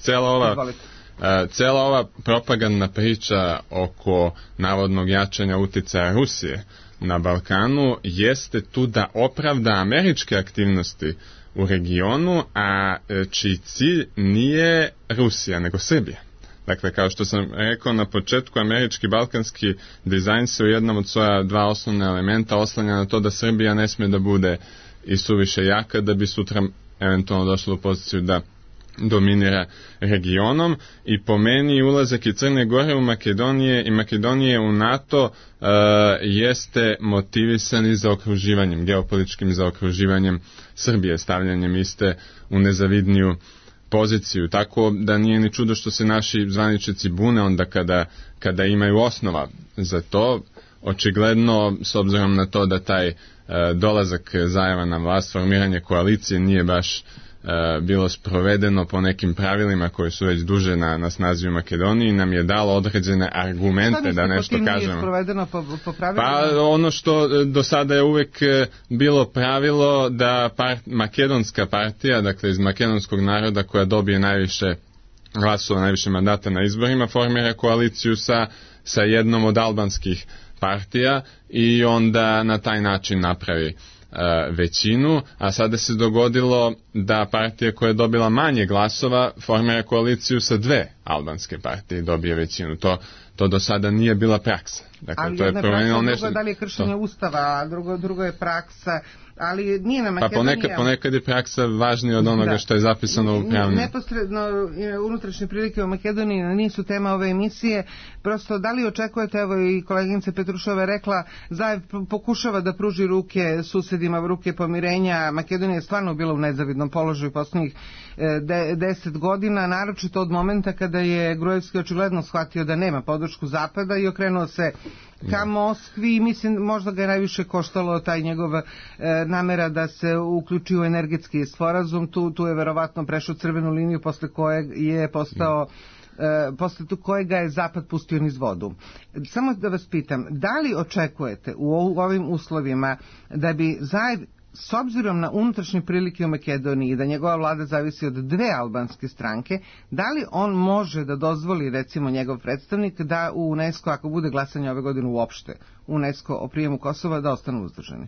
Cijela ova propagandna priča oko navodnog jačanja uticaja Rusije na Balkanu jeste tu da opravda američke aktivnosti u regionu, a čiji cilj nije Rusija, nego Srbija. Dakle, kao što sam rekao na početku, američki balkanski dizajn se u jednom od svoja dva osnovna elementa oslanja na to da Srbija ne smije da bude i suviše jaka, da bi sutra eventualno došlo u poziciju da dominira regionom, i po meni ulazak i Crne Gore u Makedonije u NATO jeste motivisan i zaokruživanjem, geopolitičkim zaokruživanjem Srbije, stavljanjem iste u nezavidniju poziciju, tako da nije ni čudo što se naši zvaničnici bune onda kada imaju osnova za to. Očigledno, s obzirom na to da taj dolazak Zajeva na vlast, formiranje koalicije nije baš bilo sprovedeno po nekim pravilima koji su već duže na snazi u Makedoniji, nam je dalo određene argumente da nešto kažemo. Šta nije sprovedeno po pravilima? Pa ono što do sada je uvek bilo pravilo da makedonska partija, dakle iz makedonskog naroda koja dobije najviše glasova, najviše mandata na izborima, formira koaliciju sa jednom od albanskih partija i onda na taj način napravi većinu, a sada se dogodilo da partija koja je dobila manje glasova formira koaliciju sa dve albanske partije i dobije većinu. To do sada nije bila praksa. Dakle, ali to je promenilo nešto. Da li je kršenje Ustava, a drugo je praksa, ali nije na Makedonija. Pa ponekad je praksa važnija od onoga što je zapisano u pravnim. Neposredno unutrašnje prilike u Makedoniji nisu tema ove emisije. Prosto, da li očekujete, evo i koleginica Petrušova je rekla, Zajev pokušava da pruži ruke susedima, ruke pomirenja. Makedonija je stvarno bila u nezavidnom položaju posljednjih 10 godina, naročito od momenta kada je Gruevski očigledno shvatio da nema podršku Zapada i okrenuo se ka Moskvi. Mislim, možda ga je najviše koštalo taj njegov namera da se uključi u energetski sporazum. Tu je verovatno prešao crvenu liniju posle kojeg je postao posle kojega je Zapad pustio niz vodu. Samo da vas pitam, da li očekujete u ovim uslovima da bi Zajev, s obzirom na unutrašnje prilike u Makedoniji, da njegova vlada zavisi od dve albanske stranke, da li on može da dozvoli, recimo njegov predstavnik, da u UNESCO, ako bude glasanje ove godine uopšte UNESCO o prijemu Kosova, da ostanu uzdržani?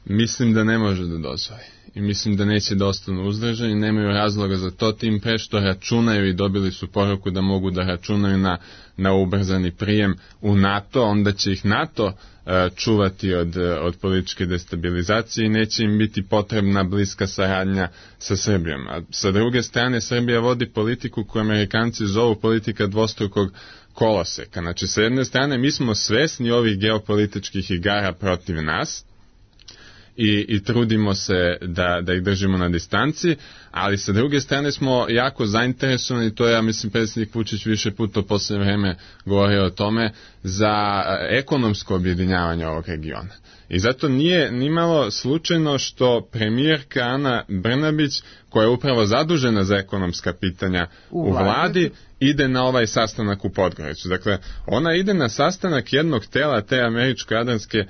Mislim da ne može da dozvoli. I mislim da neće da ostanu uzdržani, nemaju razloga za to, tim pre što računaju i dobili su poruku da mogu da računaju na ubrzani prijem u NATO, onda će ih NATO čuvati od političke destabilizacije i neće im biti potrebna bliska saradnja sa Srbijom. A sa druge strane, Srbija vodi politiku koju Amerikanci zovu politika dvostrukog koloseka. Znači, sa jedne strane, mi smo svesni ovih geopolitičkih igara protiv nas, i trudimo se da ih držimo na distanci, ali sa druge strane smo jako zainteresovani, to je, ja mislim, predsjednik Vučić više puta u posljednje vreme govorio o tome, za ekonomsko objedinjavanje ovog regiona. I zato nije nimalo slučajno što premijerka Ana Brnabić, koja je upravo zadužena za ekonomska pitanja u vladi, ide na ovaj sastanak u Podgoricu. Dakle, ona ide na sastanak jednog tela te američko-jadranske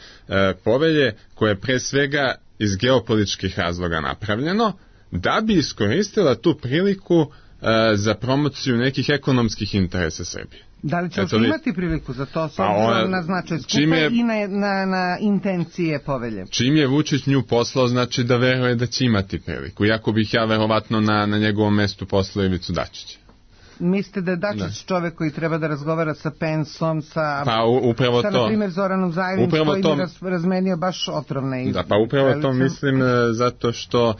povelje, koje je pre svega iz geopolitičkih razloga napravljeno, da bi iskoristila tu priliku za promociju nekih ekonomskih interesa Srbije. Da li će imati priliku za to, s obzirom na značaj skupa i na intencije povelje? Čim je Vučić nju poslao, znači da veruje da će imati priliku. Iako bih ja verovatno na njegovom mestu poslao Ivicu Dačića. Mislite da je Dačić čovek koji treba da razgovara sa Pensom, sa na primjer Zoranom Zajević, koji bi razmenio baš otrovne izglede? Da, pa upravo to mislim, zato što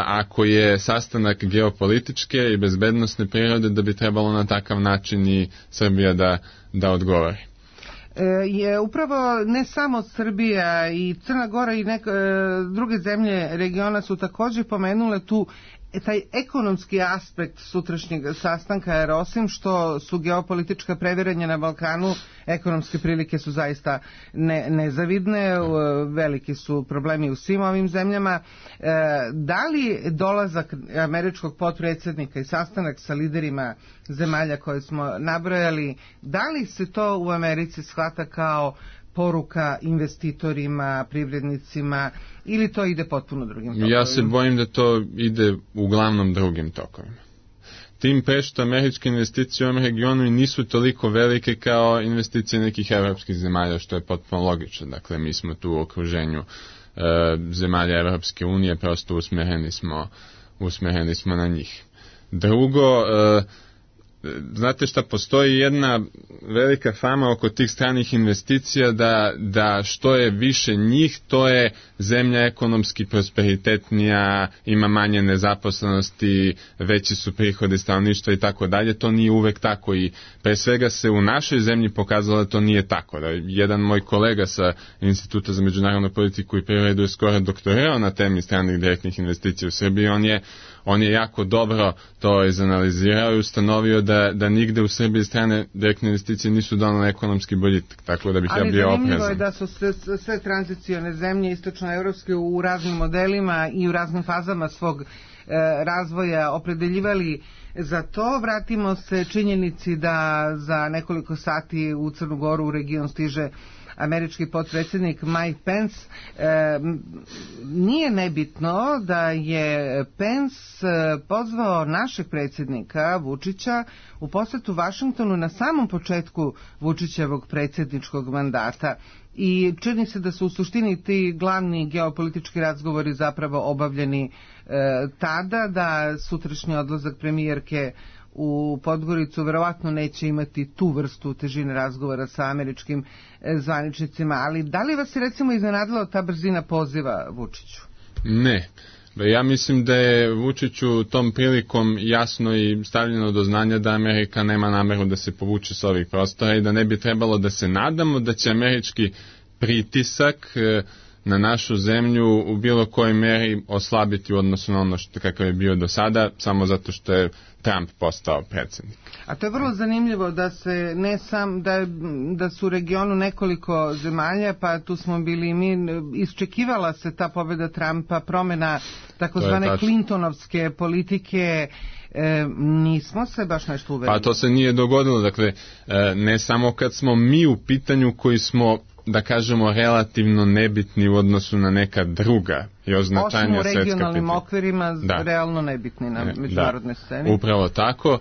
ako je sastanak geopolitičke i bezbednosne prirode, da bi trebalo na takav način i Srbija da odgovori. Je upravo ne samo Srbija i Crna Gora i druge zemlje regiona su također pomenule tu taj ekonomski aspekt sutrašnjeg sastanka, jer osim što su geopolitička previranja na Balkanu, ekonomske prilike su zaista nezavidne, veliki su problemi u svim ovim zemljama. Da li dolazak američkog potpredsjednika i sastanak sa liderima zemalja koje smo nabrojali, da li se to u Americi shvata kao poruka investitorima, privrednicima, ili to ide potpuno drugim tokovima? Ja se bojim da to ide uglavnom drugim tokovima. Tim pre što američke investicije u ovom regionu i nisu toliko velike kao investicije nekih evropskih zemalja, što je potpuno logično. Dakle, mi smo tu u okruženju zemalja Evropske unije, prosto usmereni smo na njih. Drugo, znate šta, postoji jedna velika fama oko tih stranih investicija da što je više njih, to je zemlja ekonomski prosperitetnija, ima manje nezaposlenosti, veći su prihodi stanovništva i tako dalje. To nije uvek tako i pre svega se u našoj zemlji pokazalo da to nije tako. Da jedan moj kolega sa Instituta za međunarodnu politiku i privredu je skoro doktorirao na temi stranih direktnih investicija u Srbiji. On je jako dobro to izanalizirao i ustanovio da nigde u Srbiji strane direktne investicije nisu donale ekonomski boljitak, tako da bih ja bio oprezan. Ali zanimljivo je da su sve tranzicione zemlje istočnoevropske u raznim modelima i u raznim fazama svog razvoja opredeljivali za to. Vratimo se činjenici da za nekoliko sati u Crnu Goru u region stiže američki potpredsjednik Mike Pence. Nije nebitno da je Pence pozvao našeg predsjednika Vučića u posjetu Vašingtonu na samom početku Vučićevog predsjedničkog mandata. I čini se da su u suštini ti glavni geopolitički razgovori zapravo obavljeni tada, da sutrašnji odlazak premijerke u Podgoricu verovatno neće imati tu vrstu težine razgovora sa američkim zvaničnicima, ali da li vas je recimo iznenadila ta brzina poziva Vučiću? Ne. Ja mislim da je Vučiću tom prilikom jasno i stavljeno do znanja da Amerika nema nameru da se povuče s ovih prostora i da ne bi trebalo da se nadamo da će američki pritisak na našu zemlju u bilo kojoj meri oslabiti u odnosu na ono kakav je bio do sada, samo zato što je Trump postao predsjednik. A to je vrlo zanimljivo da se ne sam da su u regionu nekoliko zemalja, pa tu smo bili i mi, iščekivala se ta pobjeda Trumpa, promjena takozvane Clintonovske politike, nismo se baš nešto uverili. Pa to se nije dogodilo, dakle, ne samo kad smo mi u pitanju koji smo, da kažemo, relativno nebitni u odnosu na neka druga još značajnija svetska pitanja. Osim u regionalnim okvirima, realno nebitni na međunarodnoj sceni. Upravo tako.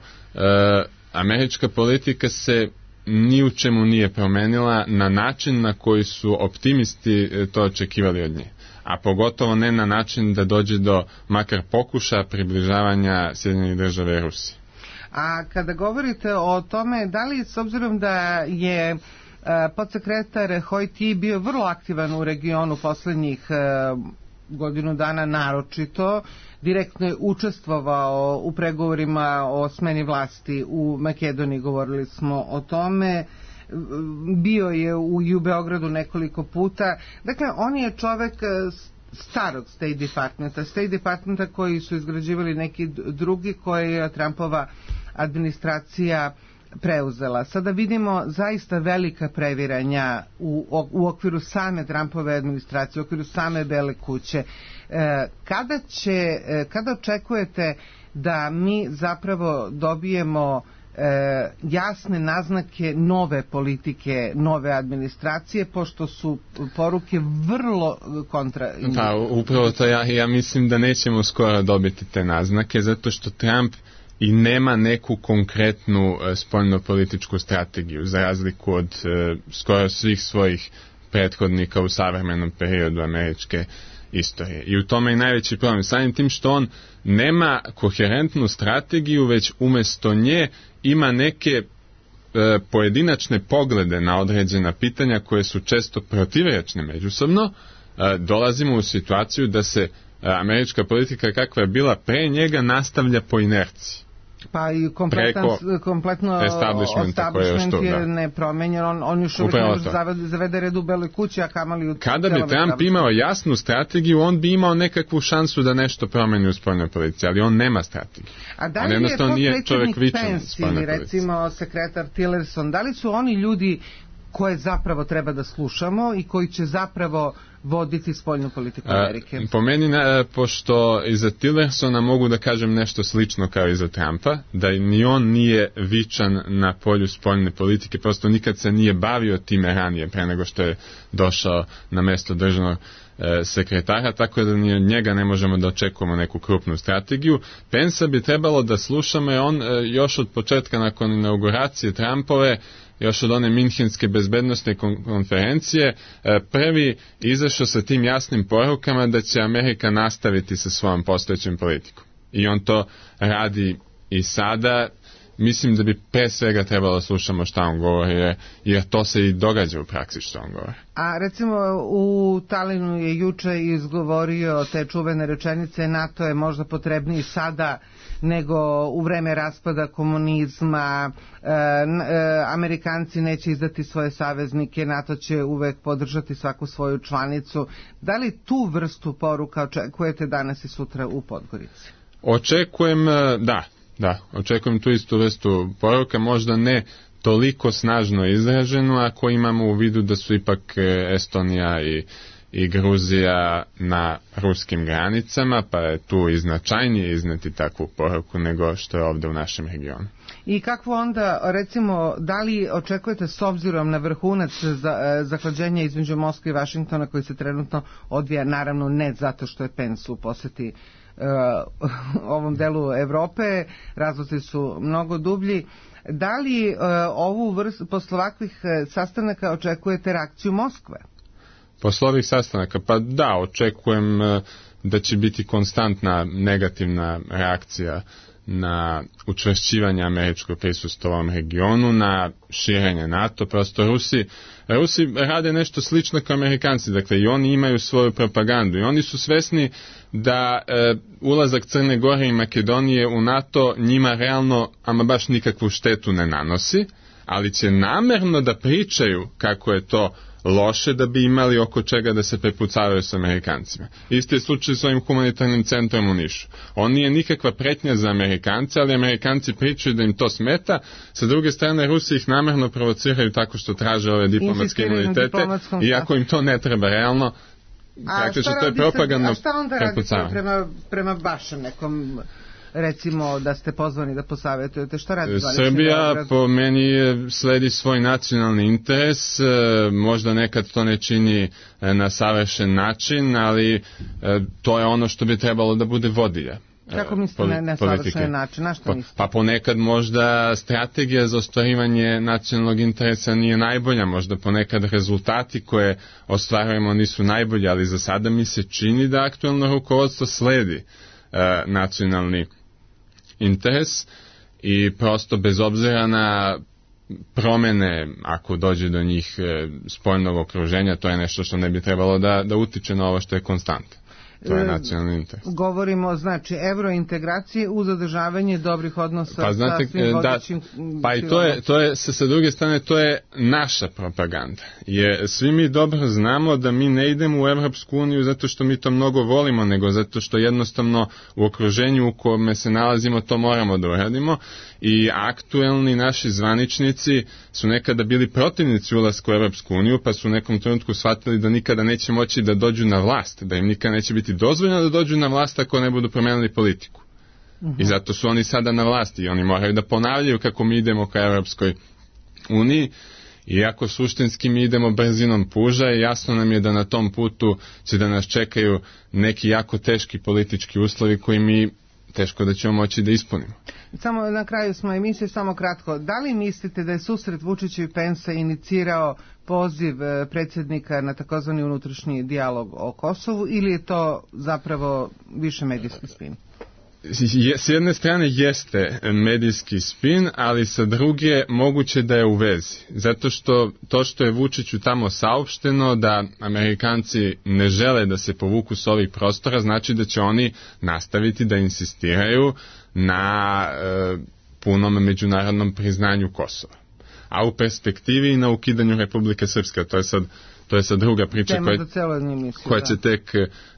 Američka politika se ni u čemu nije promenila na način na koji su optimisti to očekivali od nje. a pogotovo ne na način da dođe do makar pokušaja približavanja Sjedinjenih Država i Rusije. A kada govorite o tome, da li s obzirom da je podsekretar Hojti bio vrlo aktivan u regionu poslednjih godinu dana naročito, direktno je učestvovao u pregovorima o smeni vlasti u Makedoniji, govorili smo o tome, bio je u Beogradu nekoliko puta, dakle on je čovek starog State Departmenta koji su izgrađivali neki drugi koje je Trumpova administracija preuzela. Sada vidimo zaista velika previranja u okviru same Trumpove administracije, u okviru same Bele kuće. Kada očekujete da mi zapravo dobijemo jasne naznake nove politike, nove administracije, pošto su poruke vrlo kontra... Pa, upravo to ja mislim da nećemo skoro dobiti te naznake, zato što Trump i nema neku konkretnu spoljnopolitičku strategiju, za razliku od skoro svih svojih prethodnika u savremenom periodu američke istorije. I u tome je najveći problem. Samim tim što on nema koherentnu strategiju, već umjesto nje ima neke pojedinačne poglede na određena pitanja koje su često protivrečne međusobno. Dolazimo u situaciju da se američka politika kakva je bila pre njega nastavlja po inerciji. Pa i kompletno establishment je nepromenjen, on još uvijek ne može zavede red u Beloj kući, a kamali u... Kada bi Trump imao jasnu strategiju, on bi imao nekakvu šansu da nešto promeni u spoljnoj politici, ali on nema strategiju. A da li je potpredsjednik Pence ili recimo sekretar Tillerson, da li su oni ljudi koje zapravo treba da slušamo i koji će zapravo voditi spoljnu politiku Amerike? Po meni, pošto iza Tillersona mogu da kažem nešto slično kao iza Trumpa, da ni on nije vičan na polju spoljne politike, prosto nikad se nije bavio time ranije, pre nego što je došao na mesto državnog sekretara, tako da ni od njega ne možemo da očekujemo neku krupnu strategiju. Pensa bi trebalo da slušamo, jer on još od početka nakon inauguracije Trumpove, još od one Minhenske bezbednostne konferencije, prvi izašao sa tim jasnim porukama da će Amerika nastaviti sa svojom postojećom politikom. I on to radi i sada. Mislim da bi pre svega trebalo slušamo šta on govori, jer to se i događa u praksi što on govori. A recimo u Talinu je juče izgovorio te čuvene rečenice: NATO je možda potrebniji sada nego u vreme raspada komunizma, Amerikanci neće izdati svoje saveznike, NATO će uvek podržati svaku svoju članicu. Da li tu vrstu poruka očekujete danas i sutra u Podgorici? Očekujem, da, očekujem tu istu vrstu poruka, možda ne toliko snažno izraženo, ako imamo u vidu da su ipak Estonija i Gruzija na ruskim granicama, pa je tu i značajnije izneti takvu poruku nego što je ovdje u našem regionu. I kakvo onda, recimo, da li očekujete s obzirom na vrhunac zahlađenja između Moskve i Vašingtona koji se trenutno odvija, naravno ne zato što je Pence u poseti ovom delu Evrope, razlozi su mnogo dublji, da li posle ovakvih sastanaka očekujete reakciju Moskve? Posle ovih sastanaka, pa da, očekujem da će biti konstantna negativna reakcija na učvršćivanje američkog prisustva u ovom regionu, na širenje NATO. Prosto Rusi rade nešto slično kao Amerikanci, dakle i oni imaju svoju propagandu i oni su svesni da ulazak Crne Gore i Makedonije u NATO njima realno ama baš nikakvu štetu ne nanosi, ali će namerno da pričaju kako je to loše da bi imali oko čega da se prepucavaju s Amerikancima. Isti je slučaj s ovim humanitarnim centrom u Nišu. On nije nikakva pretnja za Amerikance, ali Amerikanci pričaju da im to smeta. Sa druge strane, Rusi ih namerno provociraju tako što traže ove diplomatske imunitete, iako im to ne treba realno. Praktično to je propagandno prepucavanje. A šta onda radite prema vašem nekom, recimo da ste pozvani da posavetujete, šta radi Srbija po meni sledi svoj nacionalni interes, možda nekad to ne čini na savršen način, ali to je ono što bi trebalo da bude vodilja. Kako mislite na savršen način? Na što mislite? Pa ponekad možda strategija za ostvarivanje nacionalnog interesa nije najbolja, možda ponekad rezultati koje ostvarujemo nisu najbolji, ali za sada mi se čini da aktuelno rukovodstvo sledi nacionalni interes i prosto bez obzira na promene, ako dođe do njih spoljnog okruženja, to je nešto što ne bi trebalo da utiče na ovo što je konstanta. To je nacionalni interes. Govorimo, znači, evrointegracije uz zadržavanje dobrih odnosa sa svim vodećim... Pa i to je sa druge strane, to je naša propaganda. Svi mi dobro znamo da mi ne idemo u Evropsku uniju zato što mi to mnogo volimo, nego zato što jednostavno u okruženju u kome se nalazimo to moramo da uradimo i aktuelni naši zvaničnici su nekada bili protivnici ulaska u Evropsku uniju, pa su u nekom trenutku shvatili da nikada neće moći da dođu na vlast, da im nikada neće biti dozvoljeno da dođu na vlast ako ne budu promenili politiku. I zato su oni sada na vlasti i oni moraju da ponavljaju kako mi idemo ka Evropskoj uniji. Iako suštinski mi idemo brzinom puža i jasno nam je da na tom putu će da nas čekaju neki jako teški politički uslovi koji mi teško da ćemo moći da ispunimo. Samo na kraju smo emisije, samo kratko. Da li mislite da je susret Vučića i Pensa inicirao poziv predsjednika na takozvani unutrašnji dijalog o Kosovu ili je to zapravo više medijski spin? S jedne strane jeste medijski spin, ali sa druge moguće da je u vezi. Zato što to što je Vučiću tamo saopšteno da Amerikanci ne žele da se povuku s ovih prostora, znači da će oni nastaviti da insistiraju na punom međunarodnom priznanju Kosova. A u perspektivi i na ukidanju Republike Srpske, to je sad druga priča koja će tek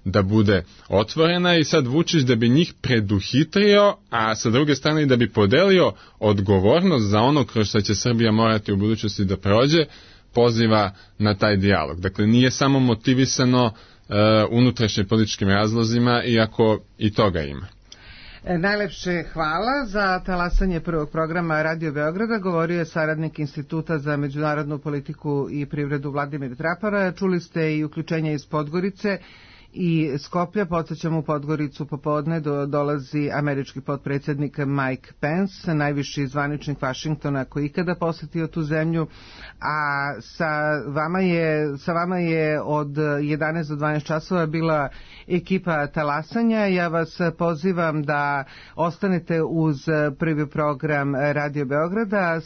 da bude otvorena i sad Vučić da bi njih preduhitrio, a sa druge strane i da bi podelio odgovornost za ono kroz što će Srbija morati u budućnosti da prođe, poziva na taj dijalog. Dakle, nije samo motivisano unutrašnjim političkim razlozima, iako i toga ima. Najlepše hvala za talasanje prvog programa Radio Beograda. Govorio je saradnik Instituta za međunarodnu politiku i privredu Vladimir Trapara. Čuli ste i uključenja iz Podgorice i Skoplja. Podsećam, u Podgoricu popodne dolazi američki potpredsjednik Mike Pence, najviši zvaničnik Vašingtona koji ikada posjetio tu zemlju, a sa vama je od 11 do 12 časova bila ekipa talasanja. Ja vas pozivam da ostanete uz prvi program Radio Beograda,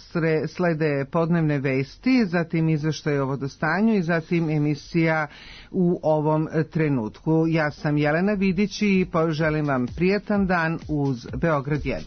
slede podnevne vesti, zatim izveštaj o vodostanju i zatim emisija u ovom trenutku. Ja sam Jelena Vidić i želim vam prijatan dan uz Beograd 1.